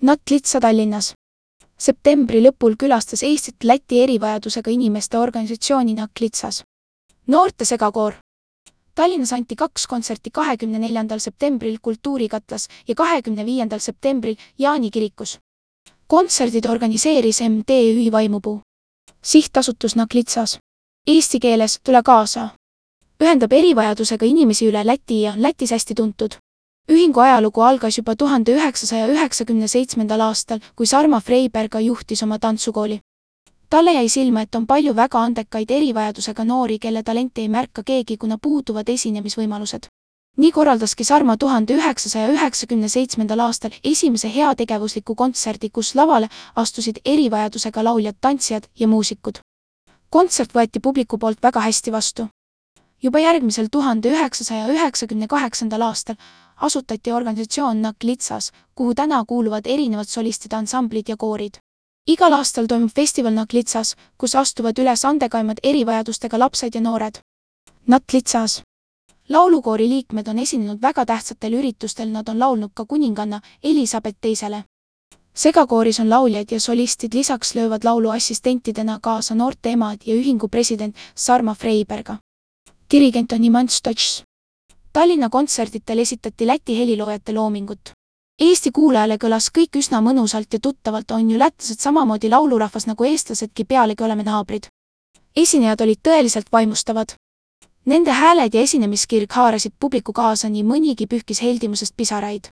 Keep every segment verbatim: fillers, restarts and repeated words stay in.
Natlitsa Tallinnas. Septembri lõpul külastas Eestit Läti erivajadusega inimeste organisatsiooni Natlitsas. Noorte segakoor. Tallinnas anti kaks kontserti kahekümne neljandal septembril Kultuurikatlas ja kahekümne viiendal septembril Jaani kirikus. Kontserdid organiseeris M T Ü Vaimupuu. Sihtasutus Natlitsas. Eesti keeles Tule kaasa. Ühendab erivajadusega inimesi üle Läti ja Lätis hästi tuntud. Ühingu ajalugu algas juba tuhande üheksasaja üheksakümne seitsmendal aastal, kui Sarma Freiberga juhtis oma tantsukooli. Talle jäi silma, et on palju väga andekaid erivajadusega noori, kelle talenti ei märka keegi, kuna puuduvad esinemisvõimalused. Nii korraldaski Sarma tuhande üheksasaja üheksakümne seitsmendal aastal esimese heategevusliku kontserdi, kus lavale astusid erivajadusega lauljad, tantsijad ja muusikud. Kontsert võeti publiku poolt väga hästi vastu. Juba järgmisel tuhande üheksasaja üheksakümne kaheksandal aastal asutati organisatsioon Natlitsas, kuhu täna kuuluvad erinevad solistid, ansamblid ja koorid. Igal aastal toimub festival Natlitsas, kus astuvad üles andekaimad erivajadustega lapsed ja noored. Natlitsas. Laulukoori liikmed on esinenud väga tähtsatel üritustel, nad on laulnud ka kuninganna Elisabeth teisele. Segakooris on lauljaid ja solistid, lisaks löövad laulu assistentidena kaasa noorte emad ja ühingu president Sarma Freiberga. Dirigent on Iman Stots. Tallinna kontserditel esitati Läti heliloojate loomingut. Eesti kuulajale kõlas kõik üsna mõnusalt ja tuttavalt, on ju lätlased samamoodi laulurahvas nagu eestlasedki, pealegi oleme naabrid. Esinejad olid tõeliselt vaimustavad. Nende hääled ja esinemiskirg haarasid publiku kaasa, nii mõnigi pühkis heldimusest pisaraid.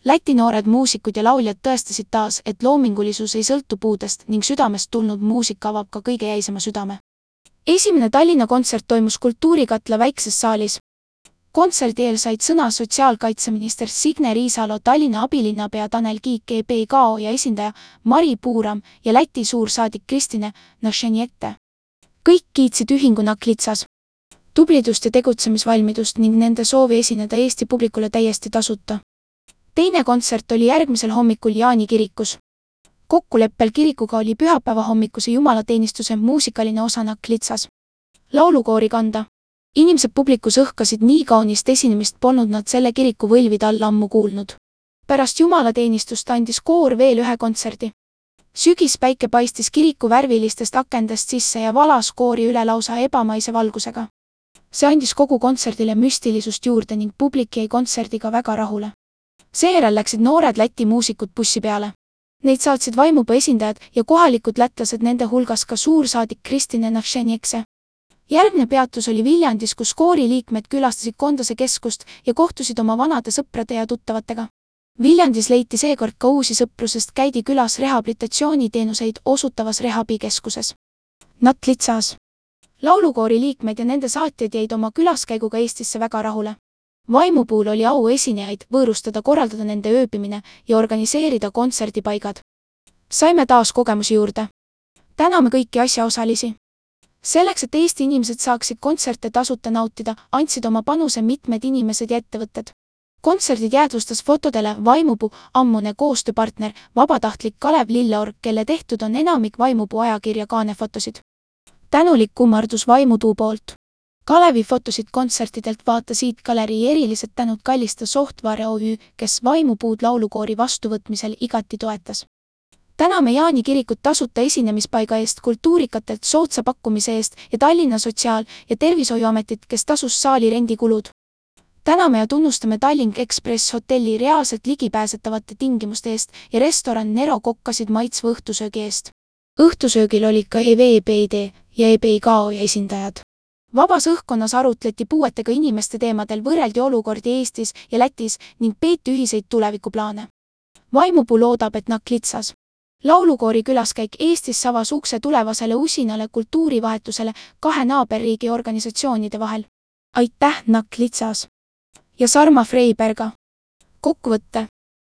Läti noored muusikud ja lauljad tõestasid taas, et loomingulisus ei sõltu puudest ning südamest tulnud muusika avab ka kõige jäisema südame. Esimene Tallinna kontsert toimus Kultuurikatla väikses saalis. Kontserdi eel said sõna sotsiaalkaitseminister Signe Riisalo, Tallinna abilinnapea Tanel Kiik, E B K O ja esindaja Mari Puuram ja Läti suursaadik Kristine Našeniete. Kõik kiitsid ühingu Natlitsas tublidust ja tegutsemisvalmidust ning nende soovi esineda Eesti publikule täiesti tasuta. Teine kontsert oli järgmisel hommikul Jaani kirikus. Kokkuleppel kirikuga oli pühapäeva hommikuse jumalateenistuse muusikaline osa Natlitsas. Laulukoori kanda. Inimesed publikus õhkasid, nii kaunist esinemist polnud nad selle kiriku võlvid all ammu kuulnud. Pärast jumalateenistust andis koor veel ühe kontserdi. Sügispäike paistis kiriku värvilistest akendest sisse ja valas koori üle lausa ebamaise valgusega. See andis kogu kontserdile müstilisust juurde ning publik jäi kontserdiga väga rahule. Seejärel läksid noored Läti muusikud bussi peale. Neid saatsid Vaimupuu esindajad ja kohalikud lätlased, nende hulgas ka suursaadik Kristine Našeniekse. Järgne peatus oli Viljandis, kus koori liikmed külastasid Kondase keskust ja kohtusid oma vanade sõprade ja tuttavatega. Viljandis leiti seekord ka uusi sõpru, sest käidi külas rehabilitatsiooniteenuseid osutavas rehabikeskuses. Natlitsas. Laulukoori liikmed ja nende saatjad jäid oma külaskäiguga Eestisse väga rahule. Vaimupuul oli au esinejaid võõrustada, korraldada nende ööbimine ja organiseerida kontserdipaigad. Saime taas kogemusi juurde. Täname kõiki asjaosalisi. Selleks, et Eesti inimesed saaksid kontserte tasuta nautida, andsid oma panuse mitmed inimesed ja ettevõtted. Kontserdid jäädvustas fotodele Vaimupuu ammune koostööpartner, vabatahtlik Kalev Lilleorg, kelle tehtud on enamik Vaimupuu ajakirja kaanefotosid. Tänulik kummardus Vaimupuu poolt. Kalevi fotosid kontsertidelt vaata siit galerii. Erilised tänud Kallista Software O Ü, kes Vaimupuud laulukoori vastuvõtmisel igati toetas. Täname Jaani kirikut tasuta esinemispaiga eest, Kultuurikatelt soodsa pakkumise eest ja Tallinna Sotsiaal- ja Tervishoiuametit, kes tasus saali rendikulud. Täname ja tunnustame Tallink Express hotelli reaalselt ligipääsetavate tingimuste eest ja restoran Nero kokkasid maitsva õhtusöögi eest. Õhtusöögil olid ka E V B D ja E B K O esindajad. Vabas õhkkonnas arutleti puuetega inimeste teemadel, võrreldi olukordi Eestis ja Lätis ning peeti ühiseid tulevikuplaane. Vaimupuu loodab, et Natlitsas laulukoori külaskäik Eestis avas ukse tulevasele usinale kultuurivahetusele kahe naaberriigi organisatsioonide vahel. Aitäh Natlitsas ja Sarma Freiberga. Kokkuvõtte.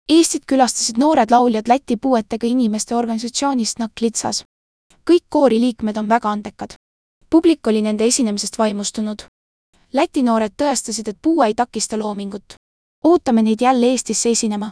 Eestit külastasid noored lauljad Läti puuetega inimeste organisatsioonist Natlitsas. Kõik koori liikmed on väga andekad. Publik oli nende esinemisest vaimustunud. Läti noored tõestasid, et puue ei takista loomingut. Ootame neid jälle Eestisse esinema.